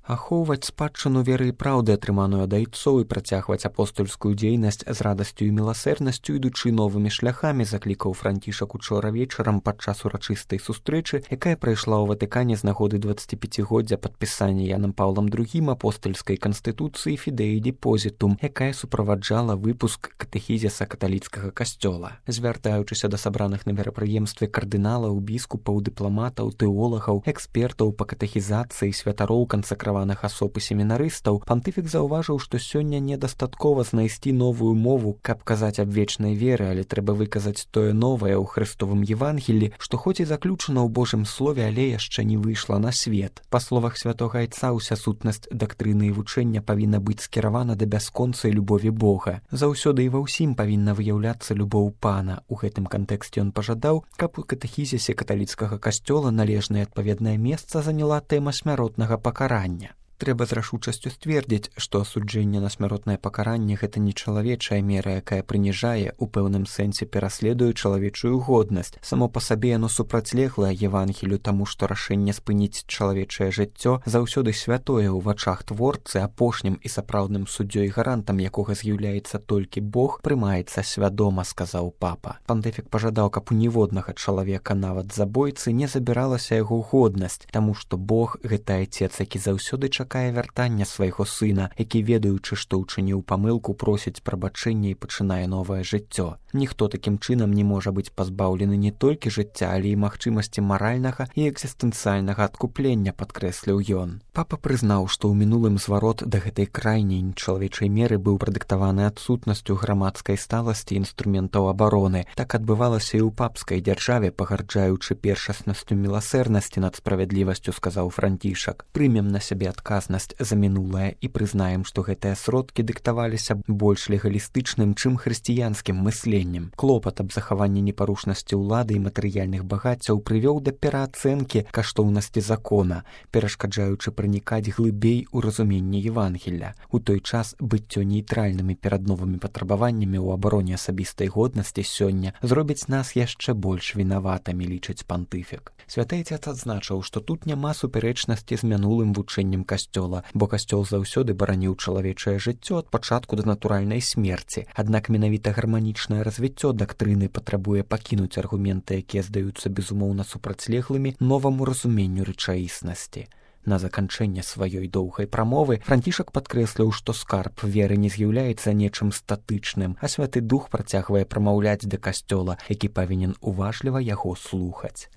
Ахоўваць спадчыну веры і праўды, атрыманую ад айцоў, і працягваць апостольскую дзейнасць з радасцю і міласэрнасцю, ідучы новымі шляхамі, заклікаў Францішак учора вечарам падчас урачыстай сустрэчы, якая прайшла ў Ватыкане з нагоды 25-годдзя падпісання Янам Паўлам II апостольскай канстытуцыі Фідеі Депозітум, якая суправаджала выпуск катэхізіса каталіцкага касцёла. Звяртаючыся да сабраных на мерапрыемстве кардыналаў, біскупаў, дыпламатаў, тэолагаў, экспертаў па катэхізацыі, святароў, кансакраваных асоб і семінарыстаў, пантыфік заўважыў, што сёння недастаткова знайсці новую мову, каб казаць аб вечнай веры, але трэба выказаць тое новае ў Христовым Евангелі, што хоць і заключана ў Божым слове, але яшчэ не выйшла на свет. Па словах святога айца, уся сутнасць дактрыны і вучэння павінна быць скіравана да бясконцай любові Бога. Заўсёды і ва ўсім павінна выяўляцца любоў Пана. У гэтым кантэксце ён пажадаў, каб у катэхізісе каталіцкага касцёла належнае адпаведнае месца заняла тэма смяротнага пакарання. Трэба з рашучасцю сцвердзіць, што асуджэнне на смяротнае пакаранне – гэта не чалавечая мера, якая прыніжае, у пэўным сэнсе пераследуе чалавечую годнасць. Само па сабе яно супрацьлеглае Евангелю, таму што рашэнне спыніць чалавечае жыццё заўсёды святое ў вачах творцы, апошнім і сапраўдным суддзёй, гарантам якога з'яўляецца толькі Бог, прымаецца свядома, сказаў папа. Пантыфік пажадаў, каб у ніводнага чалавека, нават забойцы, не забіралася яго годнасць, таму што Бог – гэта айцец, які заўсёды чакае вяртання свайго сына, які, ведаючы, што ўчыніў памылку, просіць прабачэння і пачынае новае жыццё. Ніхто такім чынам не можа быць пазбаўлены не толькі жыцця, але і магчымасці маральнага і экзістэнцыяльнага адкуплення, падкрэсліў ён. Папа прызнаў, што ў мінулым зварот да гэтай крайняй нечалавечай меры быў прадыктаваны адсутнасцю грамадскай сталасці інструментаў абароны. Так адбывалася і ў папскай дзяржаве, пагарджаючы першаснасцю міласэрнасці над справядлівасцю, сказаў Францішак. Прымем на сябе адказнасць за мінулае і прызнаем, што гэтыя сродкі дыктаваліся больш легалістычным, чым хрысціянскім мысленнем. Клопат аб захаванні непарушнасці ўлады і матэрыяльных багаццяў прывёў да пераацэнкі каштоўнасці закона, перашкаджаючы пранікаць глыбей у разуменне Евангелля. У той час быццё нейтральнымі перад новымі патрабаваннямі ў абароне асабістай годнасці сёння зробіць нас яшчэ больш вінаватымі, лічыць пантыфік. Святы Айцец адзначыў, што тут няма супярэчнасці з мінулым вучэннем касцёла, бо касцёл заўсёды бараніў чалавечае жыццё ад пачатку да натуральнай смерці. Аднак менавіта гарманічнае развіццё дактрыны патрабуе пакінуць аргументы, якія здаюцца безумоўна супрацьлеглымі новаму разуменню рэчаіснасці. На заканчэнне сваёй доўгай прамовы Францішак падкрэсліў, што скарб веры не з'яўляецца нечым статычным, а Святы Дух працягвае прамаўляць да касцёла, які павінен уважліва яго слухаць.